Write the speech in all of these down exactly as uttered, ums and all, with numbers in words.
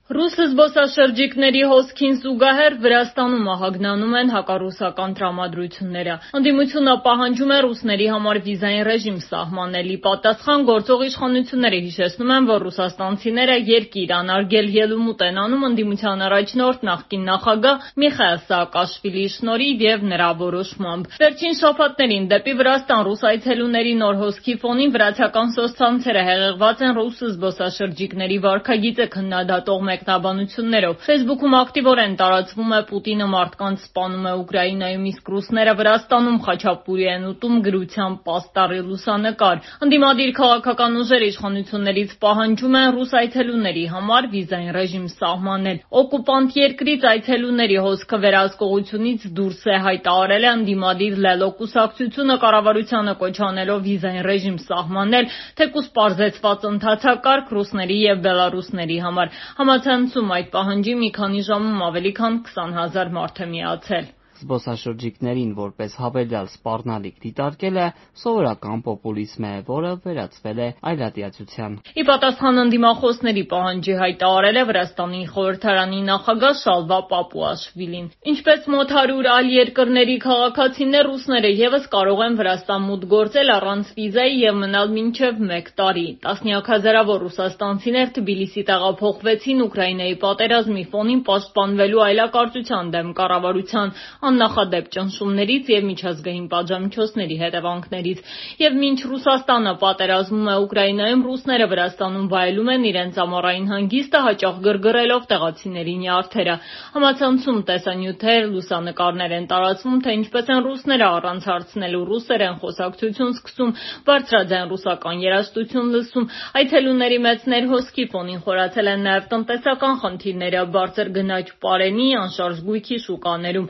Ռուս զբոսաշրջիկների հոսքին զուգահեռ Վրաստանում ահագնանում են հակառուսական տրամադրությունները։ Ընդդիմությունը պահանջում է ռուսների համար վիզային ռեժիմ սահմանել։ Ի պատասխան գործող իշխանությունները հիշեցնում են, որ ռուսաստանցիները երկիր անարգել ելումուտ են անում ընդդիմության առաջնորդ նախկին նախագահ Միխայիլ Սաակաշվիլիի շնորհիվ եւ նրա որոշմամբ։ Վերջին շաբաթներին դեպի Վրաստան ռուս այցելուների նոր հոսքի ֆոնին վրացական սոցցանցերը հեղեղված են ռուս զբոսաշրջիկների վարքագիծը քննադատող մեկնաբանություններով։ Facebook-ում ակտիվորեն տարածվում է «Պուտինը մարդկանց սպանում է Ուկրաինայում, իսկ ռուսները Վրաստանում խաչապուրի են ուտում» գրության պաստառի լուսանկար։ Ընդդիմադիր քաղաքական ուժերը իշխանություններից պահանջում են ռուս այցելուների համար վիզային ռեժիմ սահմանել։ Օկուպանտ երկրից այցելուների հոսքը վերահսկողությունից դուրս է, հայտարարել է ընդդիմադիր Լելո կուսակցությունը, կառավարությանը կոչ անելով վիզային ռեժիմ սահմանել, թեկուզ պարզեցված ընթացակարգ ռուսների եւ բելառուսների համար։ Համացանցում այդ պահանջի մի քանի ժամում ավելի քան քսան հազար մարդ է միացել։ Զբոսաշրջիկներին որպես հավելյալ սպառնալիք դիտարկելը սովորական պոպուլիզմ է, որը վերածվել է այլատիացության։ Ի պատասխան ընդդիմախոսների պահանջի հայտարարել է Վրաստանի խորհրդարանի նախագահ Շալվա Պապուաշվիլին։ Ինչպես մոտ հարյուր այլ երկրների քաղաքացիներ, ռուսները եւս կարող են Վրաստան մուտք գործել առանց վիզայի եւ մնալ մինչեւ մեկ տարի։ Տասնյակ հազարավոր ռուսաստանցիներ Թբիլիսի տեղափոխվեցին Ուկրաինայի պատերազմի ֆոնին պաշտպանվելու այլակարծության դեմ կառավարության աննախադեպ ճնշումներից եւ միջազգային պատժամիջոցների հետևանքներից։ Եվ մինչ Ռուսաստանը պատերազմում է Ուկրաինայում, ռուսները Վրաստանում վայելում են իրենց ամառային հանգիստը, հաճախ գրգռելով տեղացիների նյարդերը։ Համացանցում տեսանյութեր, լուսանկարներ են տարածվում, թե ինչպես են ռուսները առանց հարցնելու ռուսերեն խոսակցություն սկսում, բարձրաձայն ռուսական երաժշտություն լսում։ Այցելուների մեծ ներհոսքի ֆոնին խորացել են նաեւ տնտեսական խնդիրները, բարձր գնաճ պարենի, անշարժ գույքի շուկաներում։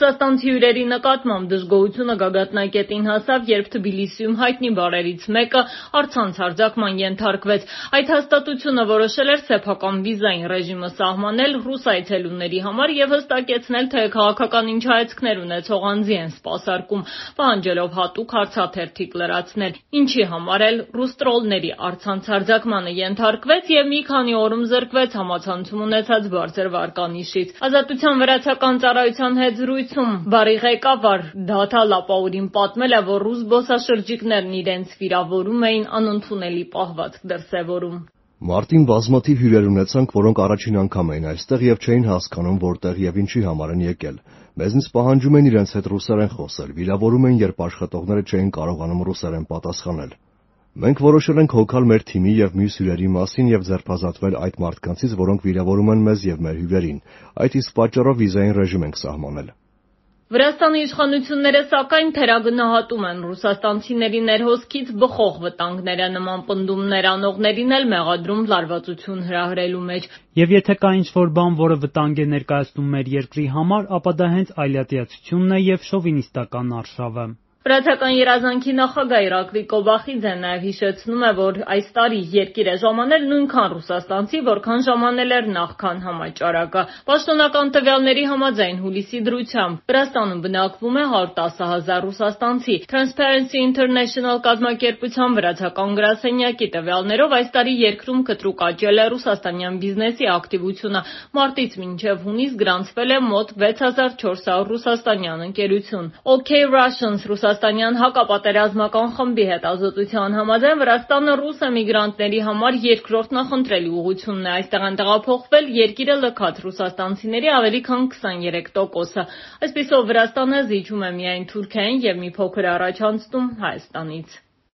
Ռուսաստանցի հյուրերի նկատմամբ դժգոհությունը գագաթնակետին հասավ, երբ Թբիլիսիում հայտնի բարերից մեկը առցանց հարձակման ենթարկվեց։ Այդ հաստատությունը որոշել էր սեփական վիզային ռեժիմը սահմանել ռուս այցելուների համար եւ հստակեցնել, թե քաղաքական ինչ հայացքներ ունեցող անձի են սպասարկում, պահանջելով հատուկ հարցաթերթիկ լրացնել, ինչի համար էլ ռուս տրոլների առցանց հարձակմանը ենթարկվեց եւ մի քանի օրում զրկվեց համացանցում ունեցած բարձր վարկանիշից։ Ազատության վրացական ծառայության հետ զրույցում բարի ղեկավար Դաթա Լապաուրին պատմել է, որ ռուս զբոսաշրջիկներն իրենց վիրավորում էին անընդունելի պահվածք դրսևորում։ Մարտին բազմաթիվ հյուրեր ունեցանք, որոնք առաջին անգամ էին այստեղ եւ չէին հասկանում որտեղ եւ ինչի համար են եկել։ Մեզնից պահանջում են իրենց հետ ռուսերեն խոսել, վիրավորում են, երբ աշխատողները չէին կարողանում ռուսերեն պատասխանել։ Մենք որոշել ենք հոգալ մեր թիմի եւ մյուս հյուրերի մասին եւ ձերբազատվել այդ մարդկանցից, որոնք վիրավորում են մեզ եւ մեր հյուրերին։ Այդ իսկ պատճառով վիզային ռեժիմ ենք սահմանել։ Վրաստանի իշխանությունները սակայն թերագնահատում են ռուսաստանցիների ներհոսքից բխող վտանգները, նման պնդումներ անողներին էլ մեղադրում լարվածություն հրահրելու մեջ։ Եվ եթե կա ինչ-որ բան, որը վտանգ է ներկայացնում մեր երկրի համար, ապա դա հենց այլատիացությունն է եւ շովինիստական արշավը։ Վրացական երազանքի նախագահ Իրակլի Կոբախիձեն նաև հիշեցնում է, որ այս տարի երկիր է ժամանել նույնքան ռուսաստանցի, որքան ժամանել էր նախքան համաճարակը։ Պաշտոնական տվյալների համաձայն հուլիսի դրությամբ Վրաստանում բնակվում է հարյուր տասը հազար ռուսաստանցի։ Transparency International կազմակերպության վրացական գրասենյակի տվյալներով այս տարի երկրում կտրուկ աճել է ռուսաստանյան բիզնեսի ակտիվությունը։ Մարտից մինչև հունիս գրանցվել է մոտ վեց հազար չորս հարյուր ռուսաստանյան ընկերություն։ OK Russians ռուսաստանյան հակապատերազմական խմբի հետազոտության համաձայն Վրաստանը ռուս էմիգրանտների համար երկրորդ նախընտրելի ուղղությունն է։ Այստեղ են տեղափոխվել երկիրը լքած ռուսաստանցիների ավելի քան քսաներեք տոկոսը։ Այսպիսով Վրաստանը զիջում է միայն Թուրքիային եւ մի փոքր առաջ անցնում Հայաստանից։